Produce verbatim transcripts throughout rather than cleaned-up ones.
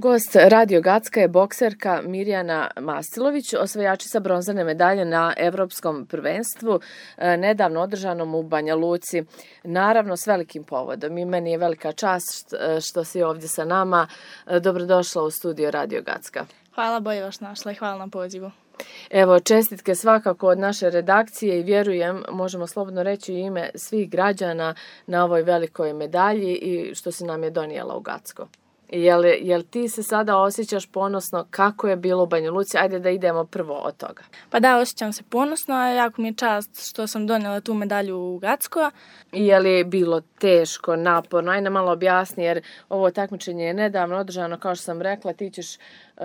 Gost Radio Gacka je bokserka Mirjana Masilović, osvajačica bronzane medalje na Evropskom prvenstvu, nedavno održanom u Banja Luci. Naravno, s velikim povodom. I meni je velika čast što si ovdje sa nama. Dobrodošla u studio Radio Gacka. Hvala, bolje vas našla i hvala na pozivu. Evo, čestitke svakako od naše redakcije i vjerujem, možemo slobodno reći u ime svih građana na ovoj velikoj medalji i što si nam je donijela u Gacko. Jel, jel ti se sada osjećaš ponosno kako je bilo u Banja Luci? Ajde da idemo prvo od toga. Pa da, osjećam se ponosno, jako mi je čast što sam donijela tu medalju u Gacko. I je li bilo teško, naporno? Ajde malo objasni, jer ovo takmičenje je nedavno održano, kao što sam rekla, ti ćeš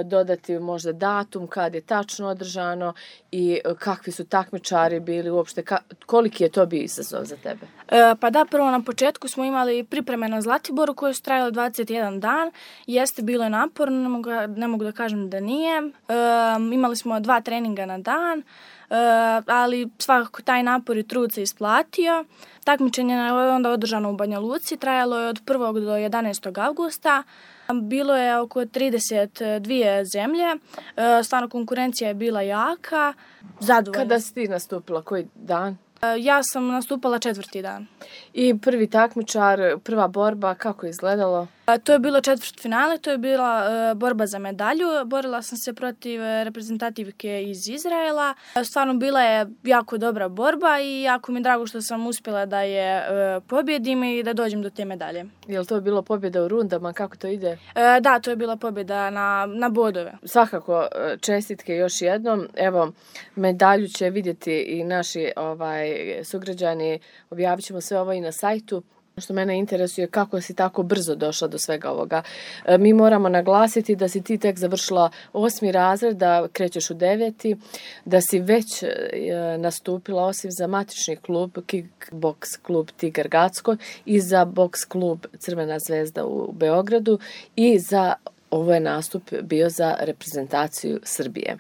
dodati možda datum kad je tačno održano i kakvi su takmičari bili uopšte, ka, koliki je to bio izazov za tebe? E, pa da, prvo na početku smo imali pripreme na Zlatiboru koje su trajale dvadeset jedan dan. Jeste, bilo je naporno, ne mogu, ne mogu da kažem da nije. E, imali smo dva treninga na dan, e, ali svakako taj napor i trud se isplatio. Takmičenje je onda održano u Banja Luci, trajalo je od prvog do jedanaestog avgusta. Bilo je oko trideset dvije zemlje, stvarno konkurencija je bila jaka, zadovoljna. Kada si ti nastupila, koji dan? Ja sam nastupala četvrti dan. I prvi takmičar, prva borba, kako je izgledalo? To je bilo četvrtfinale, to je bila uh, borba za medalju. Borila sam se protiv reprezentativke iz Izraela. Stvarno bila je jako dobra borba i jako mi je drago što sam uspjela da je uh, pobjedim i da dođem do te medalje. Je li to bilo pobjeda u rundama? Kako to ide? Uh, da, to je bila pobjeda na, na bodove. Svakako, čestitke još jednom. Evo, medalju će vidjeti i naši ovaj, sugrađani. Objavit ćemo sve ovo i na sajtu. Što mene interesuje kako si tako brzo došla do svega ovoga. E, mi moramo naglasiti da si ti tek završila osmi razred, da krećeš u deveti, da si već e, nastupila osim za matični klub, kickboks klub Tigar Gacko i za boks klub Crvena zvezda u Beogradu i za ovo je nastup bio za reprezentaciju Srbije.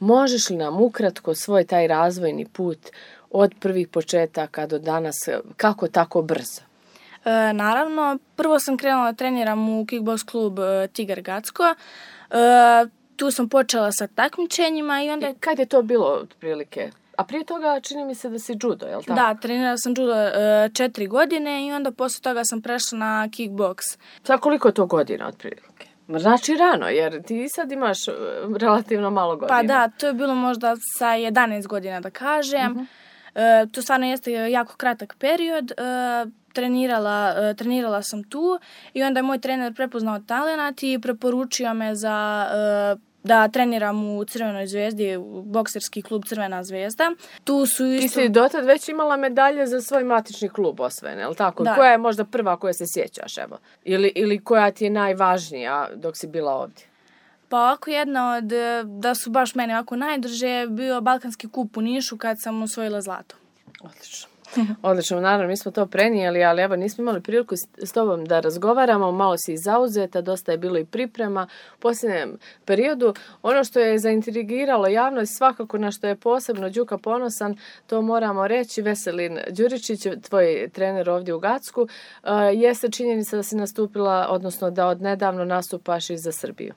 Možeš li nam ukratko svoj taj razvojni put od prvih početaka do danas, kako tako brzo? E, naravno, prvo sam krenula da treniram u kickboks klub e, Tigar Gacko. E, tu sam počela sa takmičenjima i onda... I kad je to bilo otprilike? A prije toga čini mi se da si judo, je li tako? Da, trenirala sam judo e, četiri godine i onda posle toga sam prešla na kickboks. Sad koliko je to godina otprilike? Znači rano, jer ti sad imaš relativno malo godina. Pa da, to je bilo možda sa jedanaest godina da kažem. Uh-huh. E, to stvarno jeste jako kratak period. E, trenirala, e, trenirala sam tu i onda je moj trener prepoznao talenat i preporučio me za... E, da treniram u Crvenoj zvezdi, u bokserski klub Crvena zvezda. Tu su isto... Ti si dotad već imala medalje za svoj matični klub osvojene, je li tako? Da. Koja je možda prva koja se sjećaš, evo? Ili, ili koja ti je najvažnija dok si bila ovdje? Pa ovako jedna od, da su baš mene ovako najdrže, bio Balkanski kup u Nišu kad sam osvojila zlato. Odlično. Odlično, naravno, mi smo to prenijeli, ali evo nismo imali priliku s tobom da razgovaramo, malo si zauzeta, dosta je bilo i priprema u posljednjem periodu. Ono što je zaintrigiralo javnost, svakako na što je posebno Đuka ponosan, to moramo reći, Veselin Đuričić, tvoj trener ovdje u Gacku, jeste činjenica da si nastupila, odnosno da od nedavno nastupaš i za Srbiju.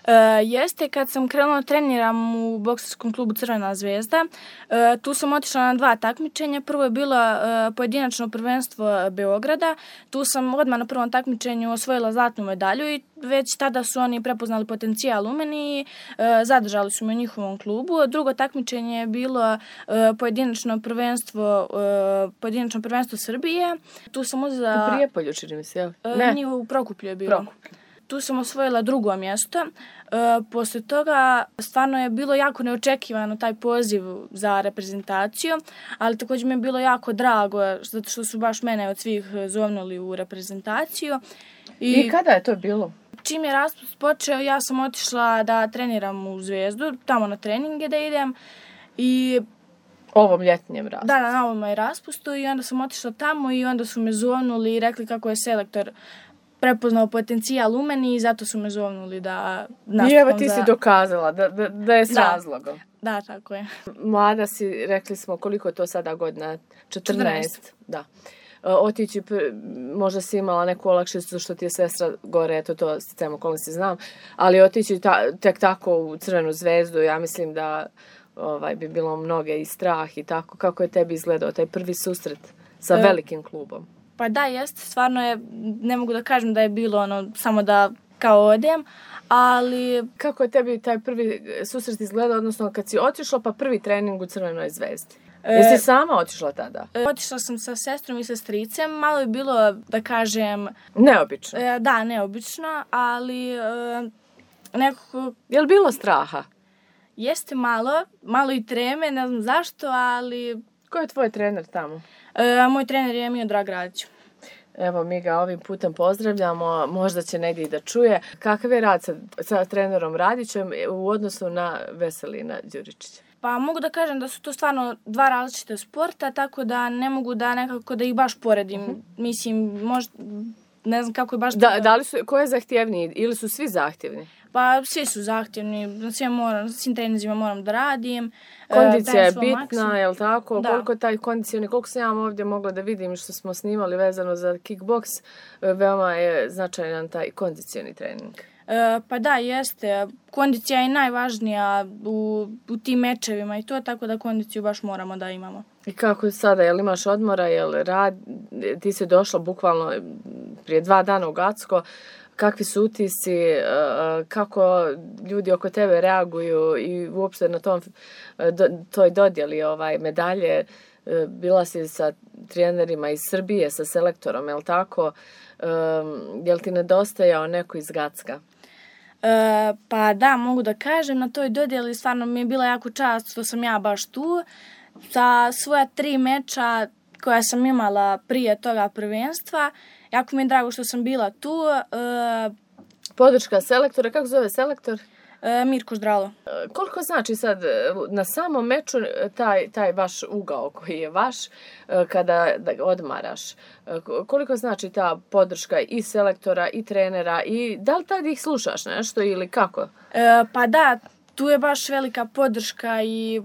Uh, jeste, kad sam krenula treniram u bokserskom klubu Crvena zvezda, uh, tu sam otišla na dva takmičenja. Prvo je bilo uh, pojedinačno prvenstvo Beograda. Tu sam odmah na prvom takmičenju osvojila zlatnu medalju i već tada su oni prepoznali potencijal u meni i uh, zadržali su me u njihovom klubu. Drugo takmičenje je bilo uh, pojedinačno prvenstvo uh, pojedinačno prvenstvo Srbije. Tu sam uzela... U Prijepolju, čini mi se, jel? Uh, ne. Nije, u Prokuplju je bilo. Prokuplju. Tu sam osvojila drugo mjesto. E, posle toga stvarno je bilo jako neočekivano taj poziv za reprezentaciju, ali također mi je bilo jako drago zato što su baš mene od svih zovnuli u reprezentaciju. I, I kada je to bilo? Čim je raspust počeo, ja sam otišla da treniram u Zvezdu, tamo na treninge da idem i... Ovom ljetnjem raspustu? Da, na ovom je raspustu i onda sam otišla tamo i onda su me zovnuli i rekli kako je selektor prepoznao potencijal u meni i zato su me zovnuli da nastupam. I evo ti za... si dokazala da, da, da je s da. razlogom. Da, tako je. Mlada si, rekli smo, koliko je to sada godina? četrnaest. četrnaest. Da. otići, možda si imala neku olakšicu što ti je sestra gore, eto to sticajem okolnosti znam, ali otići ta, tek tako u Crvenu zvezdu, ja mislim da ovaj, bi bilo mnoge i strah i tako. Kako je tebi izgledao taj prvi susret sa velikim klubom? Pa da, jeste, stvarno je, ne mogu da kažem da je bilo ono, samo da kao odem, ali... Kako je tebi taj prvi susret izgledao, odnosno kad si otišla pa prvi trening u Crvenoj zvezdi? Jesi sama otišla tada? E, otišla sam sa sestrom i sa stricem, malo je bilo, da kažem... Neobično? E, da, neobično, ali e, nekako... Je li bilo straha? Jeste malo, malo i treme, ne znam zašto, ali... Ko je tvoj trener tamo? E, moj trener je Miodrag Radić. Evo, mi ga ovim putem pozdravljamo, možda će negdje i da čuje. Kakav je rad sa, sa trenerom Radićem u odnosu na Veselina Đuričića? Pa mogu da kažem da su to stvarno dva različite sporta, tako da ne mogu da nekako da ih baš poredim. Uh-huh. Mislim, možda, ne znam kako je baš... Da, da li su, ko je zahtjevniji ili su svi zahtjevni? Pa svi su zahtjevni, na svim, moram, svim trenizima moram da radim. Kondicija je bitna, je li tako? Da. Koliko taj kondicioni, koliko sam ja ovdje mogla da vidim što smo snimali vezano za kickboks, veoma je značajan taj kondicioni trening. E, pa da, jeste. Kondicija je najvažnija u, u tim mečevima i to, tako da kondiciju baš moramo da imamo. I kako sada, jel imaš odmora, jel rad, ti si došla bukvalno prije dva dana u Gacko, kakvi su utisci, kako ljudi oko tebe reaguju i uopšte na tom, toj dodjeli ovaj, medalje, bila si sa trenerima iz Srbije, sa selektorom, jel tako? Jel ti nedostajao neko iz Gacka? E, pa da, mogu da kažem, na toj dodjeli stvarno mi je bila jako čast što sam ja baš tu. Sa svoja tri meča koja sam imala prije toga prvenstva, jako mi je drago što sam bila tu. E, Podrška selektora, kako zove selektor? E, Mirko Ždralo. E, koliko znači sad na samom meču taj, taj vaš ugao koji je vaš kada da odmaraš? E, koliko znači ta podrška i selektora i trenera i da li tad ih slušaš nešto ili kako? E, pa da, tu je baš velika podrška i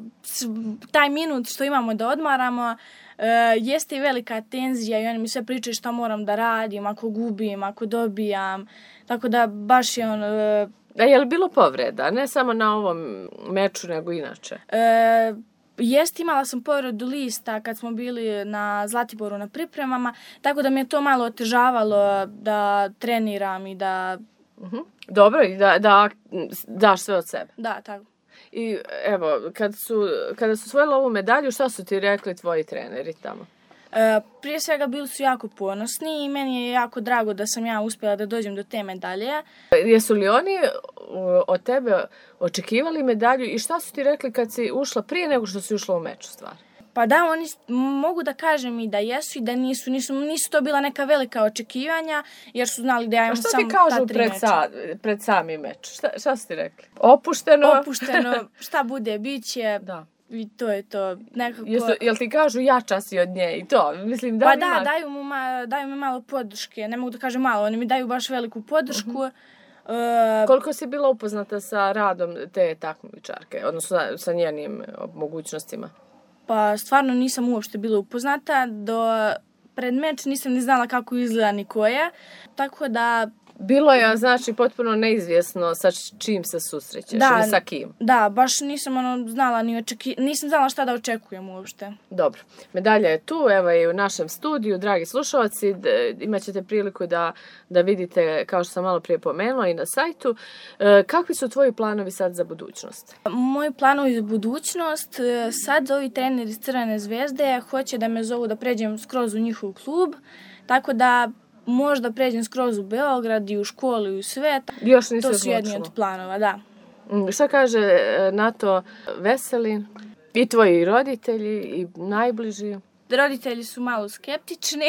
taj minut što imamo da odmaramo, Uh, jeste i velika tenzija i oni mi sve pričaju šta moram da radim, ako gubim, ako dobijam, tako da baš je on... Uh, A je li bilo povreda, ne samo na ovom meču, nego inače? Uh, jeste, imala sam povredu lista kad smo bili na Zlatiboru na pripremama, tako da mi je to malo otežavalo da treniram i da... Uh-huh. Dobro, i da, da daš sve od sebe. Da, tako. I evo, kad su, kada su osvojili ovu medalju, šta su ti rekli tvoji treneri tamo? E, prije svega bili su jako ponosni i meni je jako drago da sam ja uspjela da dođem do te medalje. Jesu li oni od tebe očekivali medalju i šta su ti rekli kad si ušla prije nego što si ušla u meč, stvar? Pa da, oni mogu da kažem i da jesu i da nisu, nisu, nisu to bila neka velika očekivanja, jer su znali da ja imam samo ta tri meča. A šta ti kažu pred, sa, pred sami meč? Šta, šta su ti rekli? Opušteno? Opušteno, šta bude, bit će. Da. I to je to. Nekako... Jesu, jel ti kažu jača si od nje i to? Mislim, da pa ima... da, daju, mu ma, daju mi malo podrške. Ne mogu da kažem malo, oni mi daju baš veliku podršku. Uh-huh. Uh, Koliko si bila upoznata sa radom te takmičarke, odnosno sa, sa njenim mogućnostima? Pa stvarno nisam uopšte bila upoznata. Do pred meč nisam ni znala kako izgleda ni koja. Tako da... Bilo je, znači, potpuno neizvjesno sa čim se susrećeš da, ili sa kim. Da, baš nisam ono znala ni očeki... nisam znala šta da očekujem uopšte. Dobro. Medalja je tu, evo je u našem studiju, dragi slušalci, imat ćete priliku da, da vidite, kao što sam malo prije pomenula, i na sajtu. E, kakvi su tvoji planovi sad za budućnost? Moji planovi za budućnost, sad ovi treneri iz Crvene zvezde hoće da me zovu da pređem skroz u njihov klub, tako da možda pređem skroz u Beograd i u školu i u sve. Još nisi to su jedni od planova, da. Šta kaže na to Veselin? I tvoji roditelji i najbliži? Roditelji su malo skeptični.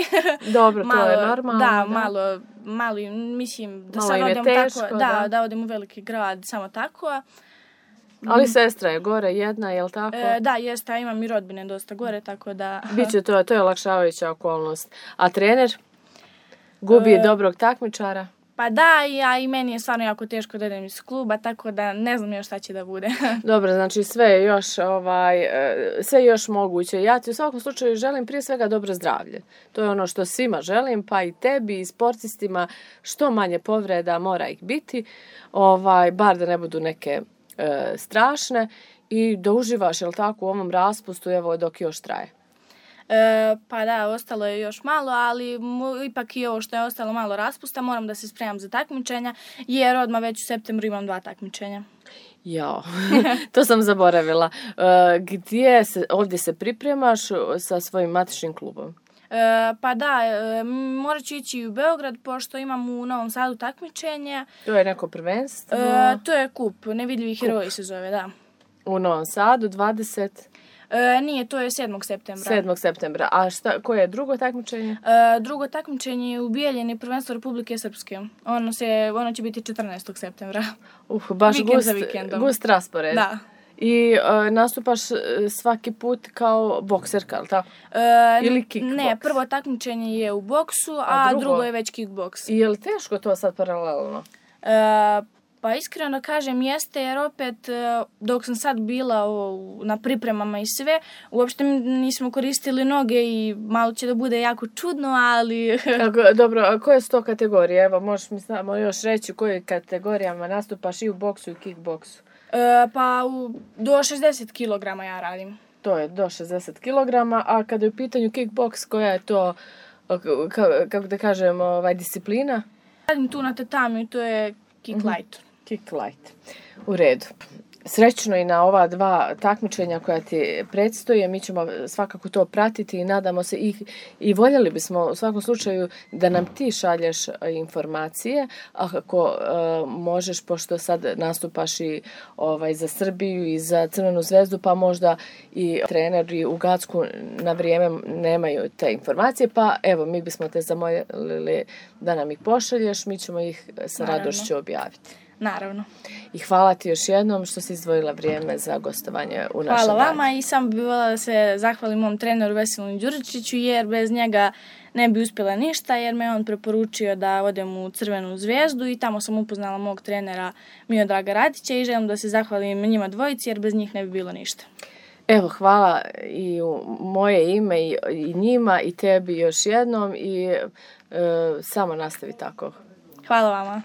Dobro, malo, to je normalno. Da, da. malo, malo mislim da malo sad odem teško, tako, da, da, da odem u veliki grad, samo tako. Ali sestra je gore jedna, je li tako? E, da, jeste, a imam i rodbine dosta gore, tako da... Biće to, to je olakšavajuća okolnost. A trener? Gubi e, dobrog takmičara? Pa da, ja, i meni je stvarno jako teško da idem iz kluba, tako da ne znam još šta će da bude. Dobro, znači sve je još, ovaj, sve je još moguće. Ja ti u svakom slučaju želim prije svega dobro zdravlje. To je ono što svima želim, pa i tebi i sportistima, što manje povreda mora ih biti, ovaj, bar da ne budu neke e, strašne i da uživaš, jel tako, u ovom raspustu, evo dok još traje. E, pa da, ostalo je još malo, ali mu, ipak i ovo što je ostalo malo raspusta, moram da se spremam za takmičenja, jer odmah već u septembru imam dva takmičenja. Jao, to sam zaboravila. E, gdje se, ovdje se pripremaš sa svojim matičnim klubom? E, pa da, e, morat ću ići u Beograd, pošto imam u Novom Sadu takmičenje. To je neko prvenstvo? E, to je kup, Nevidljivi heroji se zove, da. U Novom Sadu, dvadeset E, nije, to je sedmog septembra. sedmog septembra. A šta, koje je drugo takmičenje? E, drugo takmičenje je u Bijeljini, prvenstvo Republike Srpske. Ono, se, ono će biti četrnaestog septembra. Uh, baš Vikend gust, za vikendom. gust raspored. Da. I uh, nastupaš svaki put kao bokserka, ali tako? E, Ili kickboks? Ne, prvo takmičenje je u boksu, a, a drugo? drugo je već kickboks. I je li teško to sad paralelno? E, Pa iskreno da kažem jeste, jer opet dok sam sad bila o, na pripremama i sve, uopšte nismo koristili noge i malo će da bude jako čudno, ali... Kako, dobro, a koje su to kategorije? Evo, možeš mi samo još reći u kojoj kategorijama nastupaš i u boksu i kickboksu? E, pa u, do šezdeset kilograma ja radim. To je do šezdeset kilograma, a kada je u pitanju kickboks, koja je to, kako da kažem, ovaj, disciplina? Radim tu na tatamiju, to je kick Mm-hmm. light. Kick light. U redu. Srećno i na ova dva takmičenja koja ti predstoje. Mi ćemo svakako to pratiti i nadamo se i, i voljeli bismo u svakom slučaju da nam ti šalješ informacije, a ako uh, možeš, pošto sad nastupaš i ovaj, za Srbiju i za Crvenu zvezdu, pa možda i treneri u Gacku na vrijeme nemaju te informacije, pa evo, mi bismo te zamolili da nam ih pošalješ, mi ćemo ih sa Naravno. radošću objaviti. Naravno. I hvala ti još jednom što si izdvojila vrijeme za gostovanje u našem Hvala radu. vama i sam bih voljela da se zahvalim mom treneru Veselimu Đuričiću, jer bez njega ne bi uspjela ništa, jer me on preporučio da odem u Crvenu zvezdu i tamo sam upoznala mog trenera Miodraga Radića i želim da se zahvalim njima dvojici, jer bez njih ne bi bilo ništa. Evo, hvala i u moje ime i, i njima i tebi još jednom i e, samo nastavi tako. Hvala vama.